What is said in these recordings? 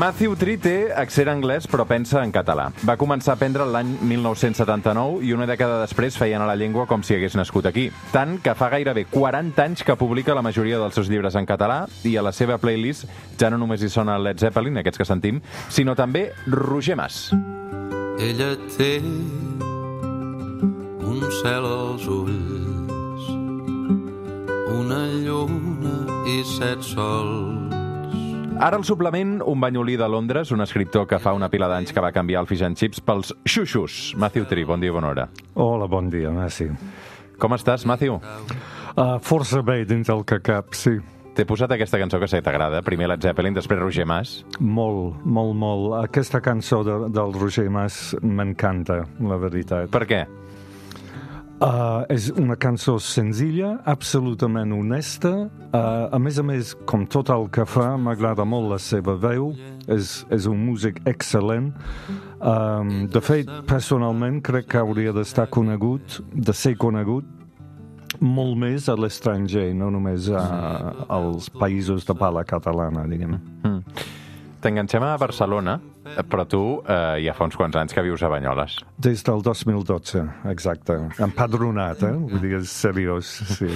Matthew Tree té accent anglès però pensa en català. Va començar a aprendre l'any 1979 i una dècada després feia anar la llengua com si hagués nascut aquí. Tant que fa gairebé 40 anys que publica la majoria dels seus llibres en català i a la seva playlist ja no només hi sona Led Zeppelin, aquests que sentim, sinó també Roger Mas. Ella té un cel als ulls, una lluna i 7 sols. Ara al suplement, un banyolí de Londres, un escriptor que fa una pila d'anys que va canviar el fish and chips pels xuxus. Matthew Tree, bon dia i bona hora. Hola, bon dia, merci. Com estàs, Matthew? Força bé dins el que cap, sí. T'he posat aquesta cançó que sé que t'agrada, primer Led Zeppelin, després Roger Mas. Molt, molt, molt. Aquesta cançó del Roger Mas m'encanta, la veritat. Per què? És una cançó senzilla, absolutament honesta. A més, com tot el que fa, m'agrada molt la seva veu. És un músic excel·lent. De fet, personalment, crec que hauria de ser conegut molt més a l'estranger, no només als països de parla catalana, diguem. T'enganxem a Barcelona, però tu ja fa uns quants anys que vius a Banyoles. Des del 2012, exacte. Empadronat, Vull dir, és seriós, sí.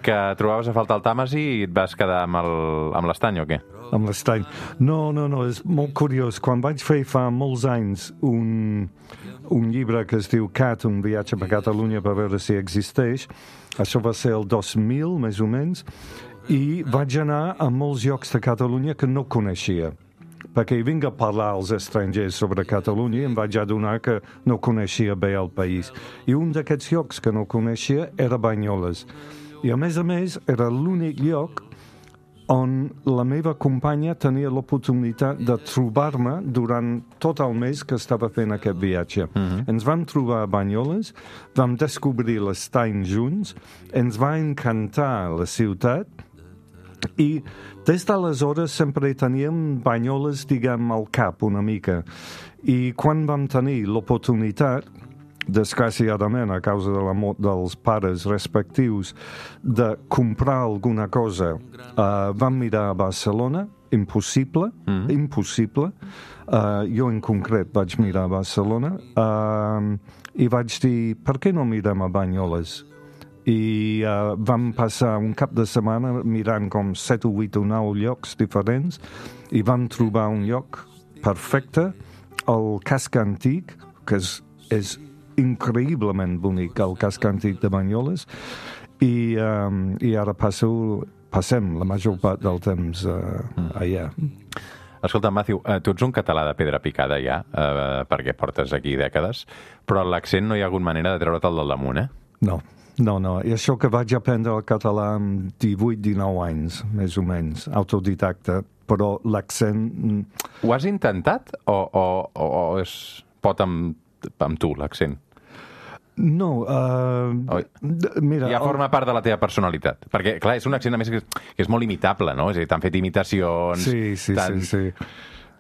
Que trobaves a faltar el Tàmesi i et vas quedar amb l'estany, o què? Amb l'estany. No, és molt curiós. Quan vaig fer fa molts anys un llibre que es diu Cat, un viatge per Catalunya per veure si existeix, això va ser el 2000, més o menys, i vaig anar a molts llocs de Catalunya que no coneixia, perquè vinc a parlar als estrangers sobre Catalunya i em vaig adonar que no coneixia bé el país. I un d'aquests llocs que no coneixia era Banyoles. I a més, era l'únic lloc on la meva companya tenia l'oportunitat de trobar-me durant tot el mes que estava fent aquest viatge. Ens vam trobar a Banyoles, vam descobrir l'estany junts, ens va encantar la ciutat, i des d'aleshores sempre teníem Banyoles, diguem, al cap una mica. I quan vam tenir l'oportunitat, desgraciadament a causa de la mort dels pares respectius, de comprar alguna cosa, vam mirar a Barcelona, impossible. Jo en concret vaig mirar a Barcelona i vaig dir, per què no mirem a Banyoles? I vam passar un cap de setmana mirant com 7 o 8 o 9 llocs diferents i vam trobar un lloc perfecte, el casc antic, que és increïblement bonic, el casc antic de Banyoles, i ara passem la major part del temps allà. Escolta, Matthew, tu ets un català de pedra picada ja, perquè portes aquí dècades, però l'accent no hi ha hagut manera de treure'l del damunt, No. I això que vaig aprendre el català amb 18-19 anys, més o menys, autodidacta, però l'accent... Ho has intentat o es pot amb tu, l'accent? No, mira... Ja forma part de la teva personalitat. Perquè, clar, és un accent, a més, que és molt imitable, no? És a dir, t'han fet imitacions... Sí.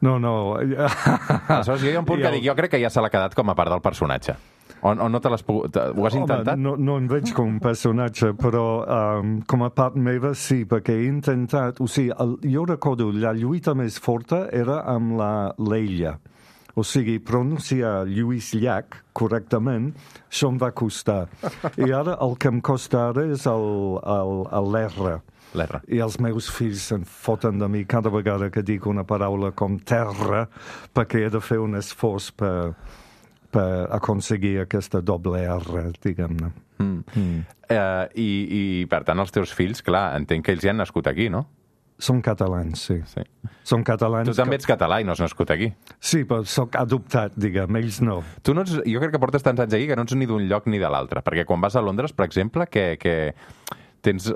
No. Aleshores, jo hi ha un punt que dic, jo crec que ja se l'ha quedat com a part del personatge. O no te l'has pogut... Ho has intentat? No em veig com un personatge, però com a part meva sí, perquè he intentat... O sigui, jo recordo, la lluita més forta era amb la Leia. O sigui, pronunciar Lluís Llach correctament, això em va costar. I ara el que em costa ara és l'R. L'R. I els meus fills se'n foten de mi cada vegada que dic una paraula com terra, perquè he de fer un esforç per aconseguir aquesta doble R, diguem-ne. I, per tant, els teus fills, clar, entenc que ells ja han nascut aquí, no? Són catalans, sí. Són catalans. Tu també ets català i no has nascut aquí. Sí, però soc adoptat, diguem, ells no. Tu no ets, jo crec que portes tants anys aquí que no ets ni d'un lloc ni de l'altre, perquè quan vas a Londres, per exemple, que tens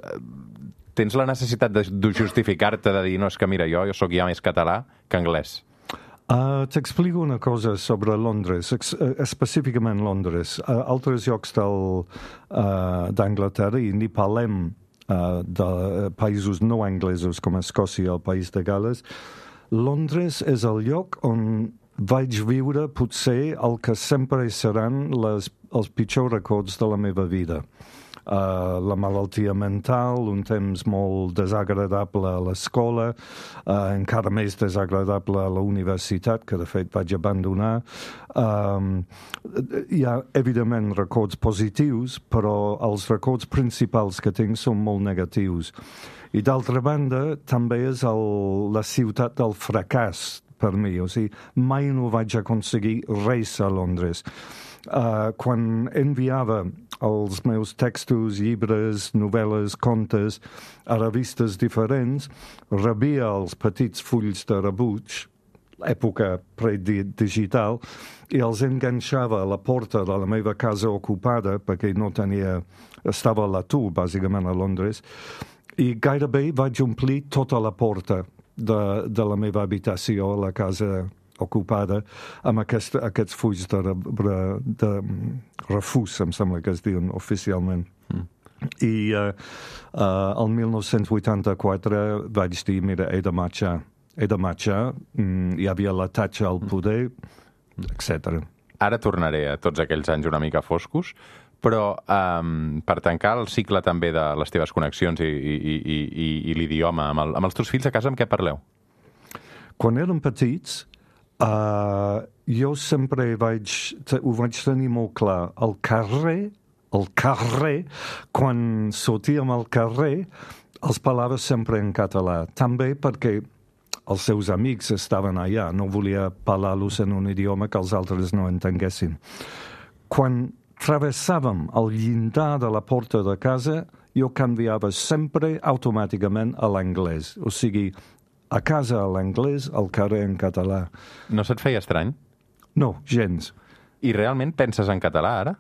la necessitat de justificar-te, de dir, no, és que mira, jo sóc ja més català que anglès. T'explico una cosa sobre Londres, específicament Londres. Altres llocs d'Anglaterra, i ni parlem de països no anglesos com Escòcia, el país de Gales, Londres és el lloc on vaig viure potser el que sempre seran els pitjors records de la meva vida. la malaltia mental, un temps molt desagradable a l'escola, encara més desagradable a la universitat, que de fet vaig abandonar. Hi ha, evidentment, records positius, però els records principals que tinc són molt negatius. I d'altra banda, també és la ciutat del fracàs per mi. O sigui, mai no vaig aconseguir res a Londres. Quan enviava els meus textos, llibres, novel·les, contes a revistes diferents, rebia els petits fulls de rebuig, època predigital, i els enganxava a la porta de la meva casa ocupada, perquè no tenia... estava a l'atur, bàsicament, a Londres, i gairebé vaig omplir tota la porta de la meva habitació a la casa ocupada amb aquests fulls de refús, em sembla que es diuen oficialment. I el 1984 vaig dir, mira, he de marxar. Hi havia la tatxa al poder, etc. Ara tornaré a tots aquells anys una mica foscos, però per tancar el cicle també de les teves connexions i l'idioma amb els teus fills a casa, amb què parleu? Quan érem petits, jo sempre ho vaig tenir molt clar. El carrer, quan sortíem al carrer, els parlava sempre en català. També perquè els seus amics estaven allà. No volia parlar-los en un idioma que els altres no entenguessin. Quan travessàvem el llindar de la porta de casa, jo canviava sempre automàticament a l'anglès. O sigui, a casa a l'anglès, al carrer en català. No se't feia estrany? No, gens. I realment penses en català, ara?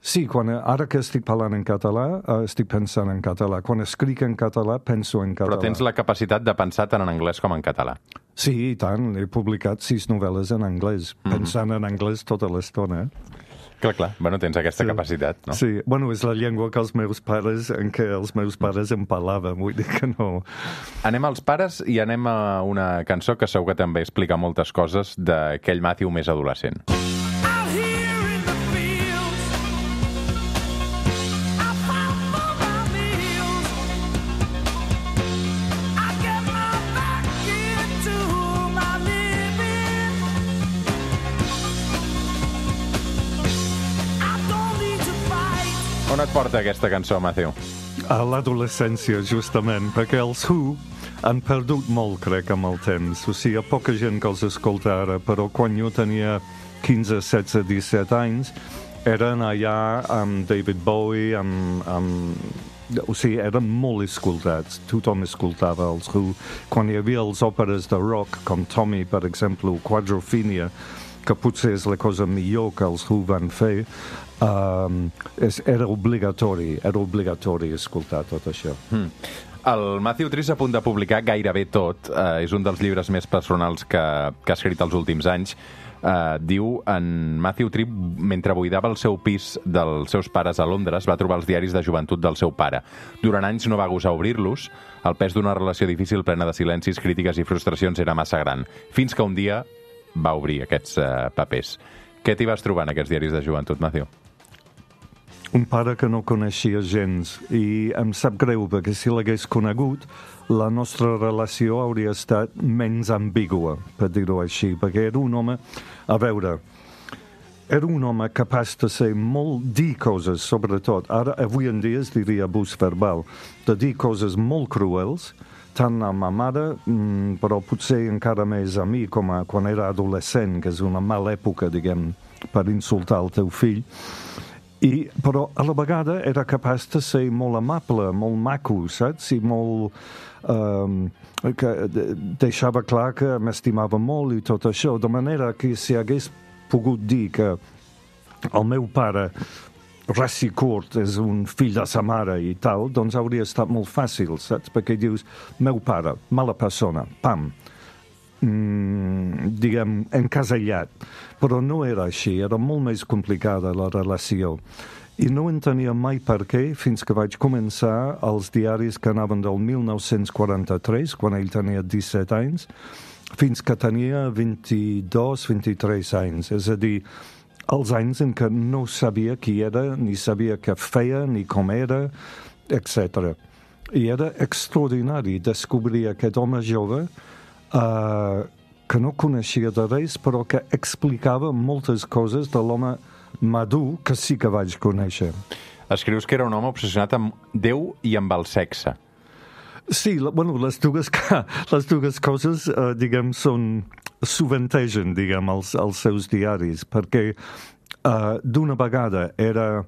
Sí, ara que estic parlant en català, estic pensant en català. Quan escric en català, penso en català. Però tens la capacitat de pensar tant en anglès com en català? Sí, i tant. He publicat 6 novel·les en anglès, pensant en anglès tota l'estona. Clar. Bueno, tens aquesta capacitat, no? Sí, bueno, és la llengua que els meus pares em parlaven, vull dir que no... Anem als pares i anem a una cançó que segur que també explica moltes coses d'aquell Matthew més adolescent. On et porta aquesta cançó, Matthew? A l'adolescència, justament, perquè els Who han perdut molt, crec, amb el temps. O sigui, hi ha poca gent que els escolta ara, però quan jo tenia 15, 16, 17 anys, eren allà amb David Bowie, o sigui, eren molt escoltats. Tothom escoltava els Who. Quan hi havia els òperes de rock, com Tommy, per exemple, o Quadrophenia, que potser és la cosa millor que els Who van fer, era obligatori escoltar tot això. El Matthew Tree s'ha a punt de publicar gairebé tot. És un dels llibres més personals que ha escrit els últims anys. Diu, en Matthew Tree, mentre buidava el seu pis dels seus pares a Londres, va trobar els diaris de joventut del seu pare. Durant anys no va gosar obrir-los. El pes d'una relació difícil plena de silencis, crítiques i frustracions era massa gran. Fins que un dia va obrir aquests papers. Què t'hi vas trobar en aquests diaris de joventut, Matthew? Un pare que no coneixia gens, i em sap greu, perquè si l'hagués conegut, la nostra relació hauria estat menys ambigua, per dir-ho així, perquè era un home, era un home capaç de ser dir coses, sobretot, ara, avui en dia es diria abús verbal, de dir coses molt cruels, tant a ma mare, però potser encara més a mi, com quan era adolescent, que és una mala època, diguem, per insultar el teu fill, però a la vegada era capaç de ser molt amable, molt maco, saps? I molt... que deixava clar que m'estimava molt i tot això, de manera que si hagués pogut dir que el meu pare, ras i curt, és un fill de sa mare i tal, doncs hauria estat molt fàcil, saps? Perquè dius, meu pare, mala persona, pam, diguem, encasellat. Però no era així, era molt més complicada la relació. I no entenia mai per què fins que vaig començar els diaris que anaven del 1943, quan ell tenia 17 anys, fins que tenia 22, 23 anys. És a dir, els anys en què no sabia qui era, ni sabia què feia, ni com era, etc. I era extraordinari descobrir aquest home jove que no coneixia de res, però que explicava moltes coses de l'home madur que sí que vaig conèixer. Escrius que era un home obsessionat amb Déu i amb el sexe. Sí, bueno, les dues coses, diguem, sovintegen, diguem, els seus diaris, perquè d'una vegada era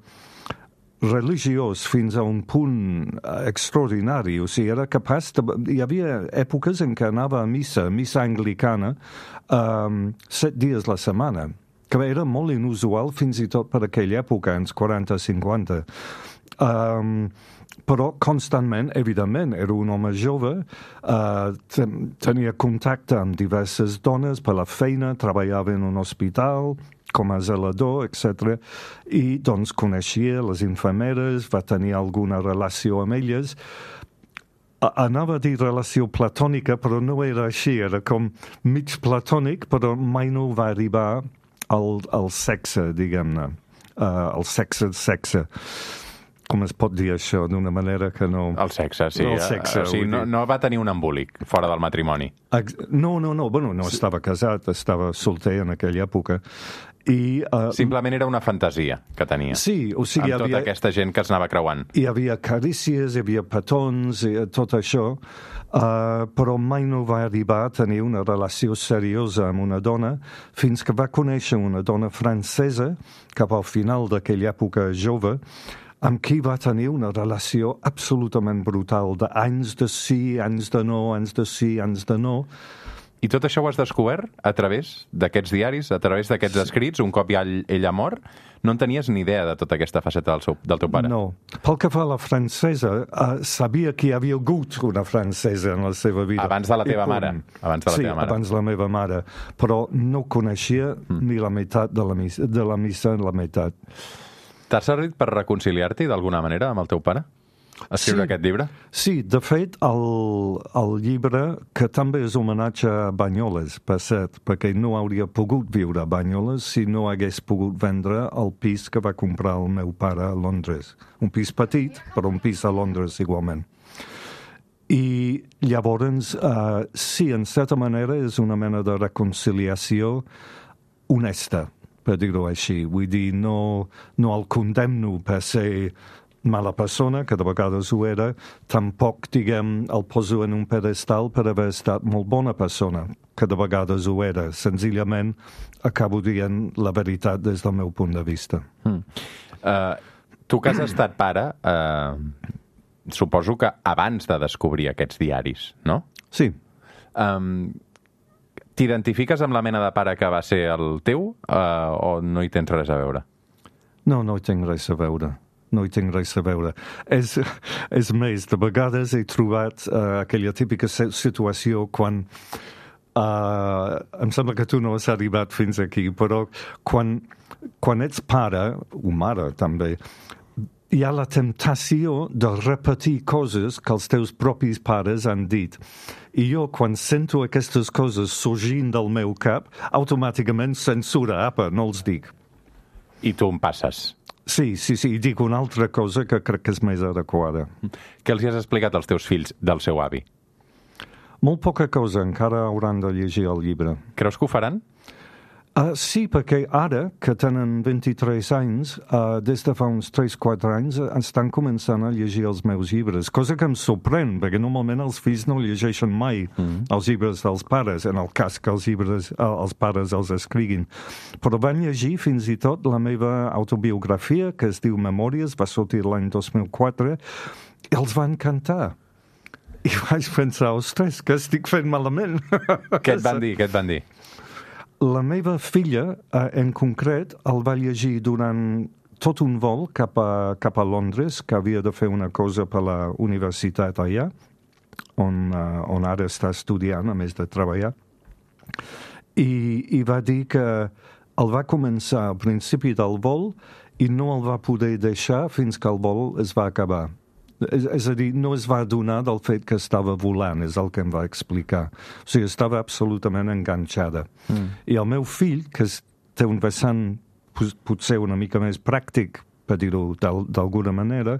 religiós fins a un punt extraordinari, o sigui, era capaç de... Hi havia èpoques en què anava a missa anglicana, 7 dies la setmana, que era molt inusual fins i tot per aquella època, anys 40-50. Però constantment, evidentment, era un home jove, tenia contacte amb diverses dones per la feina, treballava en un hospital com a zelador, etc. I doncs coneixia les infermeres, va tenir alguna relació amb elles. Anava a dir relació platònica, però no era així, era com mig platònic, però mai no va arribar al sexe, diguem-ne, el sexe. Com es pot dir això d'una manera que no... El sexe, sí. El sexe, o sigui, no va tenir un embolic fora del matrimoni. No. Bueno, no estava casat, estava solter en aquella època. I, simplement era una fantasia que tenia. Sí, o sigui... Amb tota aquesta gent que es anava creuant. Hi havia carícies, hi havia petons, tot això, però mai no va arribar a tenir una relació seriosa amb una dona fins que va conèixer una dona francesa cap al final d'aquella època jove, amb qui va tenir una relació absolutament brutal, d'anys de sí, anys de no, anys de sí, anys de no. I tot això ho has descobert a través d'aquests diaris, a través d'aquests escrits, un cop ja ell ha mort? No en tenies ni idea de tota aquesta faceta del teu pare? No. Pel que fa a la francesa, sabia que hi havia hagut una francesa en la seva vida. Abans de la teva mare? Abans de la sí, teva mare. Abans de la meva mare. Però no coneixia ni la meitat de la missa, la meitat. T'ha servit per reconciliar-t'hi d'alguna manera amb el teu pare? Escriure aquest llibre? Sí, de fet, el llibre, que també és homenatge a Banyoles, per cert, perquè no hauria pogut viure a Banyoles si no hagués pogut vendre el pis que va comprar el meu pare a Londres. Un pis petit, però un pis a Londres igualment. I llavors, sí, en certa manera és una mena de reconciliació honesta, per dir-ho així. Vull dir, no el condemno per ser mala persona, que de vegades ho era, tampoc, diguem, el poso en un pedestal per haver estat molt bona persona, que de vegades ho era. Senzillament acabo dient la veritat des del meu punt de vista. Tu que has estat pare, suposo que abans de descobrir aquests diaris, no? Sí. T'identifiques amb la mena de pare que va ser el teu o no hi tens res a veure? No hi tinc res a veure. No hi tinc res a veure. És més, de vegades he trobat aquella típica situació quan... em sembla que tu no has arribat fins aquí, però quan ets pare, o mare també, hi ha la temptació de repetir coses que els teus propis pares han dit. I jo, quan sento aquestes coses sorgint del meu cap, automàticament censura, apa, no els dic. I tu em passes. Sí, i dic una altra cosa que crec que és més adequada. Què els has explicat als teus fills del seu avi? Molt poca cosa, encara hauran de llegir el llibre. Creus que ho faran? Sí, perquè ara, que tenen 23 anys, des de fa uns 3-4 anys, estan començant a llegir els meus llibres, cosa que em sorprèn, perquè normalment els fills no llegeixen mai els llibres dels pares, en el cas que els pares els escriguin. Però van llegir fins i tot la meva autobiografia, que es diu Memòries, va sortir l'any 2004, i els va encantar. I vaig pensar, ostres, que estic fent malament. Què et van dir? La meva filla, en concret, el va llegir durant tot un vol cap a Londres, que havia de fer una cosa per la universitat allà, on ara està estudiant, a més de treballar. I va dir que el va començar al principi del vol i no el va poder deixar fins que el vol es va acabar. És a dir, no es va adonar del fet que estava volant, és el que em va explicar. O sigui, estava absolutament enganxada. I el meu fill, que té un vessant potser una mica més pràctic, per dir-ho d'alguna manera,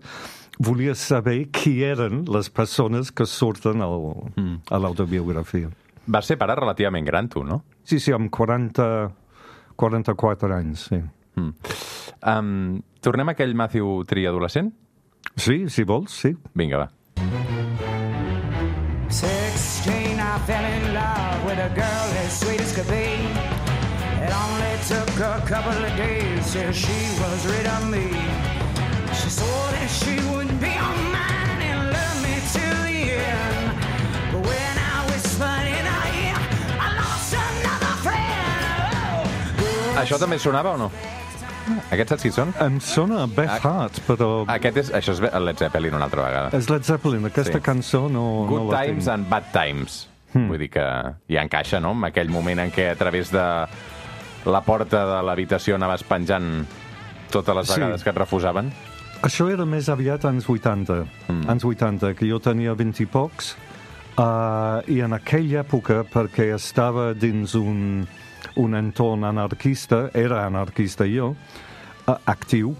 volia saber qui eren les persones que surten a l'autobiografia. Vas ser pare relativament gran, tu, no? Sí, amb 44 anys, sí. Tornem a aquell Matthew Tree adolescent? Sí, si vols, sí. Vinga, va. 16, I fell in love with a girl as sweet as could be. It only took a couple of days till she was rid of me. She swore that she would be all mine and love me till the end. But when I whispered in her ear, I lost another friend. Això també sonava o no? Aquests saps qui són? Em sona Beth Hart, però... Això és Led Zeppelin una altra vegada. És Led Zeppelin, aquesta cançó no Good la Times tinc. and Bad Times. Vull dir que ja encaixa, no?, en aquell moment en què a través de la porta de l'habitació anaves penjant totes les vegades que et refusaven. Això era més aviat anys 80, anys 80, que jo tenia 20 i pocs, i en aquella època, perquè estava dins un entorn anarquista, era anarquista jo, actiu,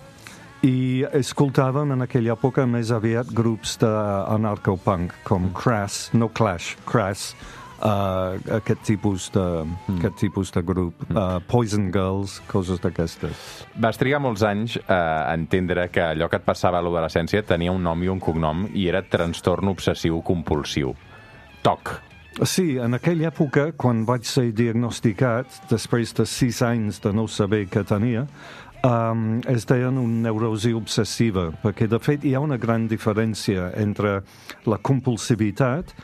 i escoltàvem en aquella època més aviat grups d'anarcopunk, com Crass, no Clash, Crass, aquest tipus de grup, Poison Girls, coses d'aquestes. Vas trigar molts anys a entendre que allò que et passava a l'adolescència tenia un nom i un cognom i era trastorn obsessiu compulsiu. TOC. Sí, en aquella època, quan vaig ser diagnosticat, després de 6 anys de no saber què tenia, es deien una neurosi obsessiva, perquè de fet hi ha una gran diferència entre la compulsivitat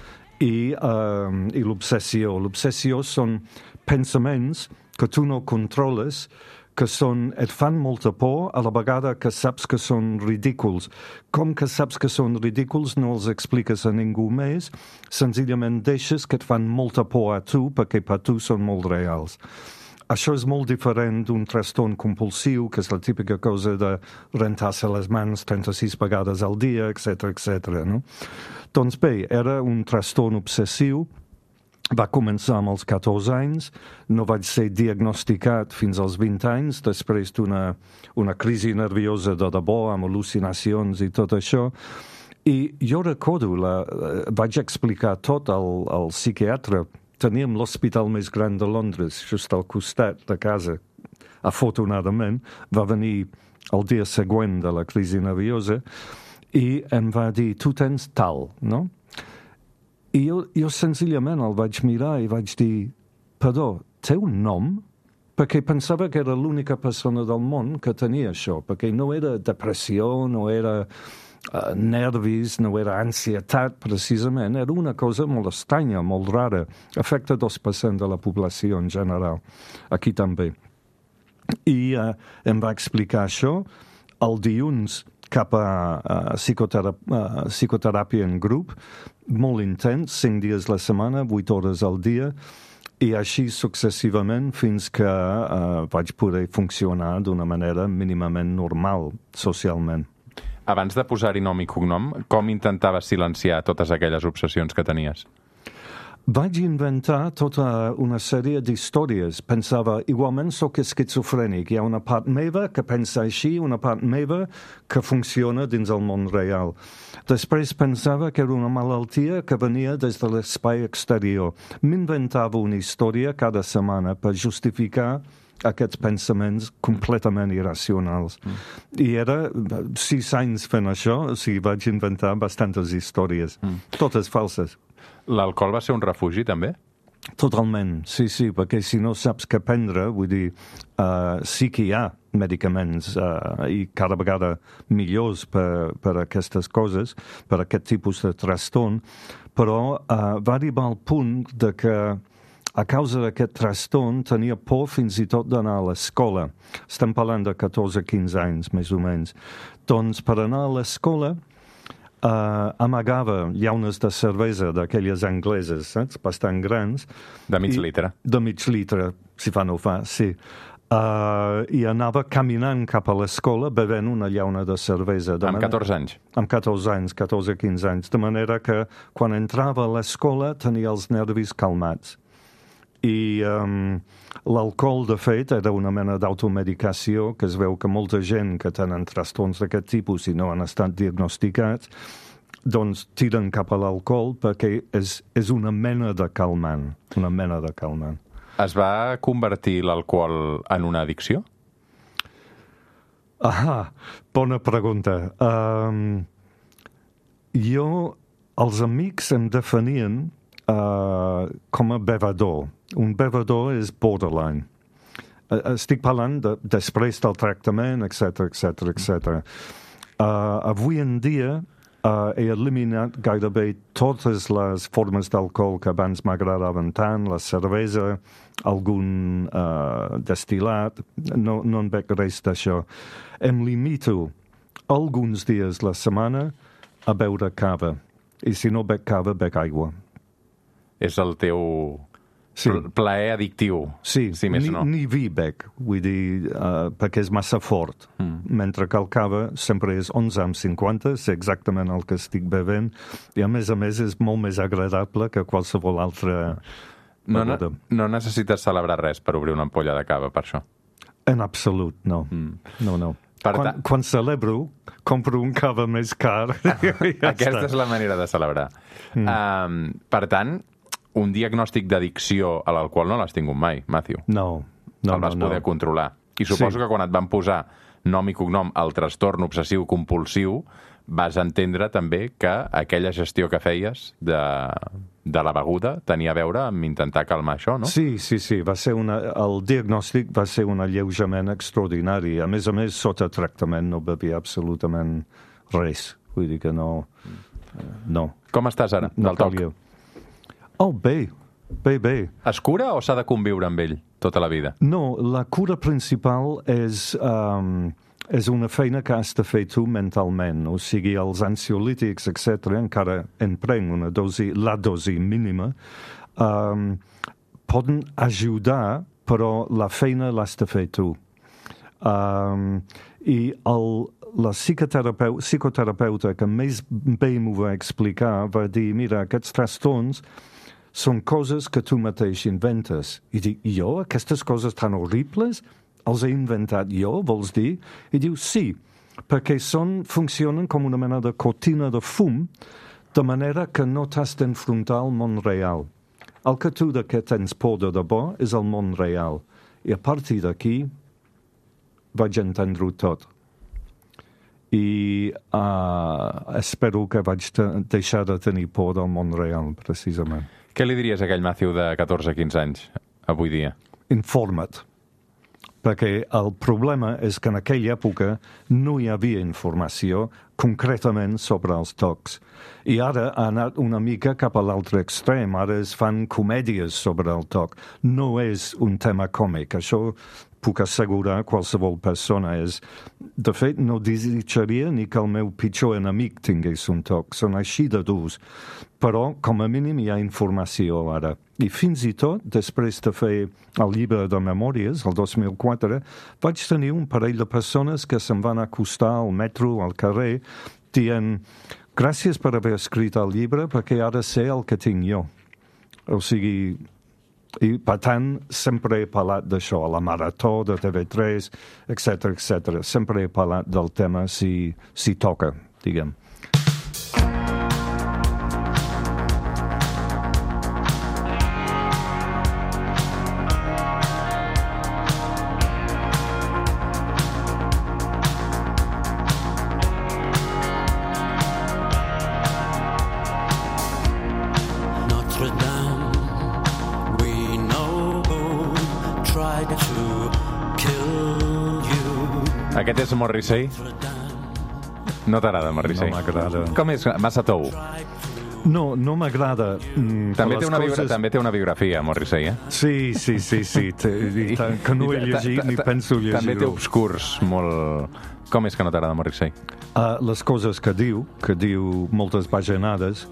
i l'obsessió. L'obsessió són pensaments que tu no controles, que et fan molta por a la vegada que saps que són ridículs. Com que saps que són ridículs, no els expliques a ningú més, senzillament deixes que et fan molta por a tu, perquè per tu són molt reals. Això és molt diferent d'un trastorn compulsiu, que és la típica cosa de rentar-se les mans 36 vegades al dia, etc. No? Doncs bé, era un trastorn obsessiu. Va començar amb els 14 anys, no vaig ser diagnosticat fins als 20 anys, després d'una crisi nerviosa de debò, amb al·lucinacions i tot això. I jo recordo, vaig explicar tot al psiquiatre. Teníem l'hospital més gran de Londres, just al costat de casa. Afortunadament, va venir el dia següent de la crisi nerviosa i em va dir, tu tens tal, no? I jo senzillament el vaig mirar i vaig dir, perdó, té un nom? Perquè pensava que era l'única persona del món que tenia això, perquè no era depressió, no era nervis, no era ansietat, precisament. Era una cosa molt estranya, molt rara. Afecta 2% de la població en general. Aquí també. I em va explicar això. El dilluns cap a psicoteràpia en grup, molt intens, 5 dies a la setmana, 8 hores al dia, i així successivament fins que vaig poder funcionar d'una manera mínimament normal, socialment. Abans de posar-hi nom i cognom, com intentaves silenciar totes aquelles obsessions que tenies? Vaig inventar tota una sèrie d'històries. Pensava, igualment sóc esquizofrènic. Hi ha una part meva que pensa així, una part meva que funciona dins el món real. Després pensava que era una malaltia que venia des de l'espai exterior. M'inventava una història cada setmana per justificar aquests pensaments completament irracionals. I era 6 anys fent això, o sigui, vaig inventar bastantes històries, totes falses. L'alcohol va ser un refugi, també? Totalment, sí, perquè si no saps què prendre, vull dir, sí que hi ha medicaments i cada vegada millors per aquestes coses, per aquest tipus de trastorn, però va arribar al punt de que a causa d'aquest trastorn tenia por fins i tot d'anar a l'escola. Estem parlant de 14-15 anys, més o menys. Doncs per anar a l'escola amagava llaunes de cervesa d'aquelles angleses, saps? Bastant grans. De mig litre. De mig litre, si fa no fa, sí. I anava caminant cap a l'escola bevent una llauna de cervesa. Amb 14 anys? Amb 14 anys, 14-15 anys. De manera que quan entrava a l'escola tenia els nervis calmats. I l'alcohol, de fet, era una mena d'automedicació, que es veu que molta gent que tenen trastorns d'aquest tipus i no han estat diagnosticats, doncs tiren cap a l'alcohol perquè és una mena de calmant, una mena de calmant. Es va convertir l'alcohol en una addicció? Bona pregunta. Els amics em definien com a bevedor. Un bevedor és borderline. Estic parlant després del tractament, etc. Avui en dia he eliminat gairebé totes les formes d'alcohol que abans m'agradaven tant, la cervesa, algun destil·lat, no en bec res d'això. Em limito alguns dies la setmana a beure cava, i si no bec cava, bec aigua. És el teu plaer addictiu, sí, si més no. Ni vi bec, vull dir, perquè és massa fort, mentre que el cava sempre és 11,50, és exactament el que estic bevent, i a més és molt més agradable que qualsevol altra beguda. No necessites celebrar res per obrir una ampolla de cava, per això? En absolut, no. No. Quan celebro, compro un cava més car. Aquesta és la manera de celebrar. Per tant, un diagnòstic d'addicció a l'alcohol no l'has tingut mai, Matthew. No. El vas poder controlar. I suposo que quan et van posar nom i cognom al trastorn obsessiu compulsiu, vas entendre també que aquella gestió que feies de la beguda tenia a veure amb intentar calmar això, no? Sí. El diagnòstic va ser un alleujament extraordinari. A més, sota tractament no bevia absolutament res. Vull dir que no. Com estàs ara, del toc? Bé. Es cura o s'ha de conviure amb ell tota la vida? No, la cura principal és una feina que has de fer tu mentalment. O sigui, els ansiolítics, etc., encara en prenc la dosi mínima, poden ajudar, però la feina l'has de fer tu. I la psicoterapeuta que més bé m'ho va explicar va dir, mira, aquests trastorns són coses que tu mateix inventes. I dic, jo? Aquestes coses tan horribles els he inventat jo, vols dir? I diu, sí, perquè funcionen com una mena de cortina de fum, de manera que no t'has d'enfrontar al món real. El que tu de què tens por de debò és el món real. I a partir d'aquí vaig entendre-ho tot. I espero que vaig deixar de tenir por del món real, precisament. Què li diries a aquell Matthew de 14-15 anys, avui dia? Informa't. Perquè el problema és que en aquella època no hi havia informació concretament sobre els tocs. I ara ha anat una mica cap a l'altre extrem. Ara es fan comèdies sobre el toc. No és un tema còmic. Això puc assegurar a qualsevol persona. De fet, no desitjaria ni que el meu pitjor enemic tingués un toc. Són així de durs. Però, com a mínim, hi ha informació ara. I fins i tot, després de fer el llibre de memòries, el 2004, vaig tenir un parell de persones que se'm van acostar al metro, al carrer, dient, gràcies per haver escrit el llibre, perquè ara sé el que tinc jo. O sigui, i per tant, sempre he parlat d'això, a la Marató de TV3, etc. Sempre he parlat del tema si toca, diguem. Aquest és Morrissey? No t'agrada, Morrissey? No m'agrada. Com és? Massa tou? No m'agrada. També té una biografia, Morrissey, eh? Sí. Que no he llegit ni penso llegir-ho. També té obscurs molt... Com és que no t'agrada, Morrissey? Les coses que diu moltes bajanades.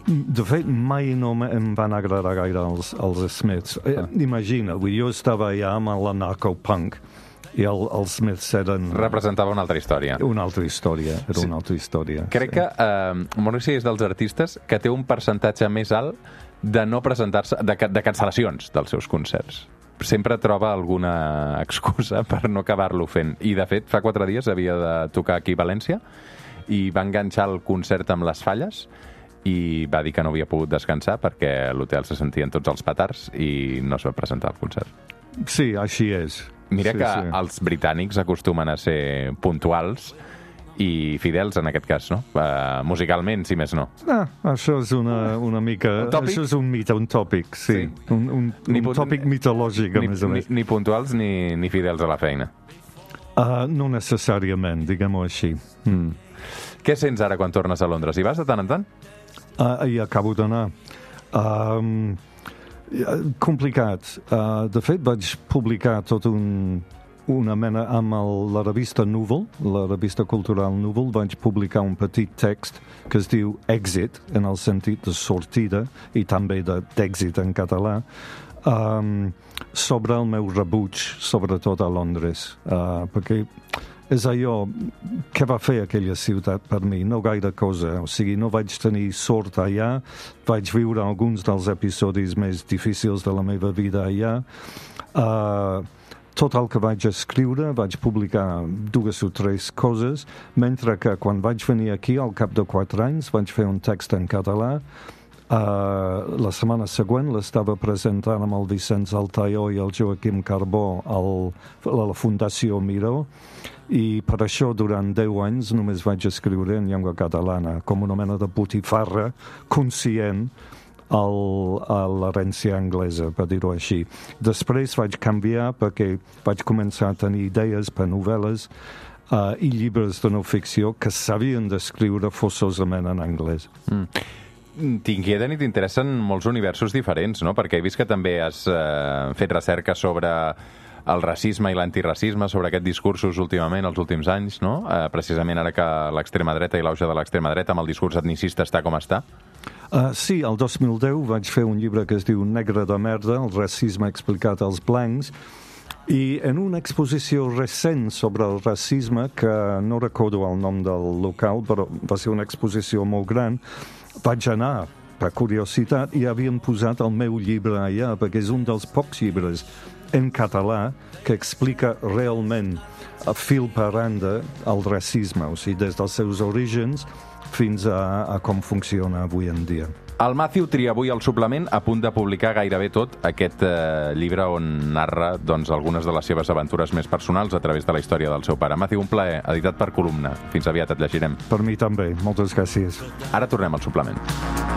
De fet, mai no em van agradar gaire els Smiths. Imagina, jo estava allà amb l'anarcopunk i els Smiths eren... Representava una altra història. Una altra història, una altra història. Crec que Morrissey és dels artistes que té un percentatge més alt de no presentar-se, de cancel·lacions dels seus concerts. Sempre troba alguna excusa per no acabar-lo fent. I, de fet, fa 4 dies havia de tocar aquí a València i va enganxar el concert amb les falles i va dir que no havia pogut descansar perquè a l'hotel se sentien tots els petards i no es va presentar al concert. Sí, així és. Mira que els britànics acostumen a ser puntuals i fidels en aquest cas, no? Musicalment, si més no. Això és una mica... Això és un mite, un tòpic, sí. Un tòpic mitològic, a més a més. Ni puntuals ni fidels a la feina. No necessàriament, diguem-ho així. Què sents ara quan tornes a Londres? Hi vas de tant en tant? Hi acabo d'anar. Complicat. De fet, vaig publicar tot una mena amb la revista Núvol, la revista cultural Núvol, vaig publicar un petit text que es diu Èxit, en el sentit de sortida, i també d'èxit en català, sobre el meu rebuig, sobretot a Londres, perquè és allò, què va fer aquella ciutat per mi? No gaire cosa, o sigui, no vaig tenir sort allà, vaig viure alguns dels episodis més difícils de la meva vida allà, tot el que vaig escriure, vaig publicar 2 o 3 coses, mentre que quan vaig venir aquí, al cap de 4 anys, vaig fer un text en català. La setmana següent l'estava presentant amb el Vicenç Altaió i el Joaquim Carbó a la Fundació Miró, i per això durant 10 anys només vaig escriure en llengua catalana, com una mena de botifarra conscient a l'herència anglesa, per dir-ho així. Després vaig canviar perquè vaig començar a tenir idees per novel·les i llibres de no ficció que s'havien d'escriure forçosament en anglès. T'inquieten i t'interessen molts universos diferents, no? Perquè he vist que també has fet recerca sobre el racisme i l'antiracisme, sobre aquests discursos últimament, els últims anys, no? Precisament ara que l'extrema dreta i l'auge de l'extrema dreta amb el discurs etnicista està com està. Sí, el 2010 vaig fer un llibre que es diu Negre de merda, el racisme explicat als blancs, i en una exposició recent sobre el racisme, que no recordo el nom del local, però va ser una exposició molt gran, vaig anar per curiositat i havien posat el meu llibre allà, perquè és un dels pocs llibres en català que explica realment a fil per randa el racisme, o sigui, des dels seus orígens fins a com funciona avui en dia. El Matthew tria avui al suplement, a punt de publicar gairebé tot aquest llibre on narra algunes de les seves aventures més personals a través de la història del seu pare. Matthew, un plaer, editat per Columna. Fins aviat, et llegirem. Per mi també, moltes gràcies. Ara tornem al suplement.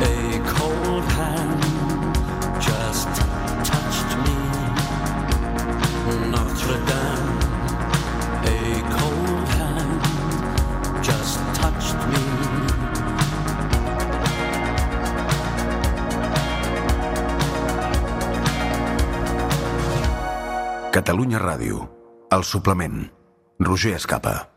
A cold hand just touched me, Notre Dame. A cold hand just touched me. Catalunya Ràdio, el suplement. Roger Escapa.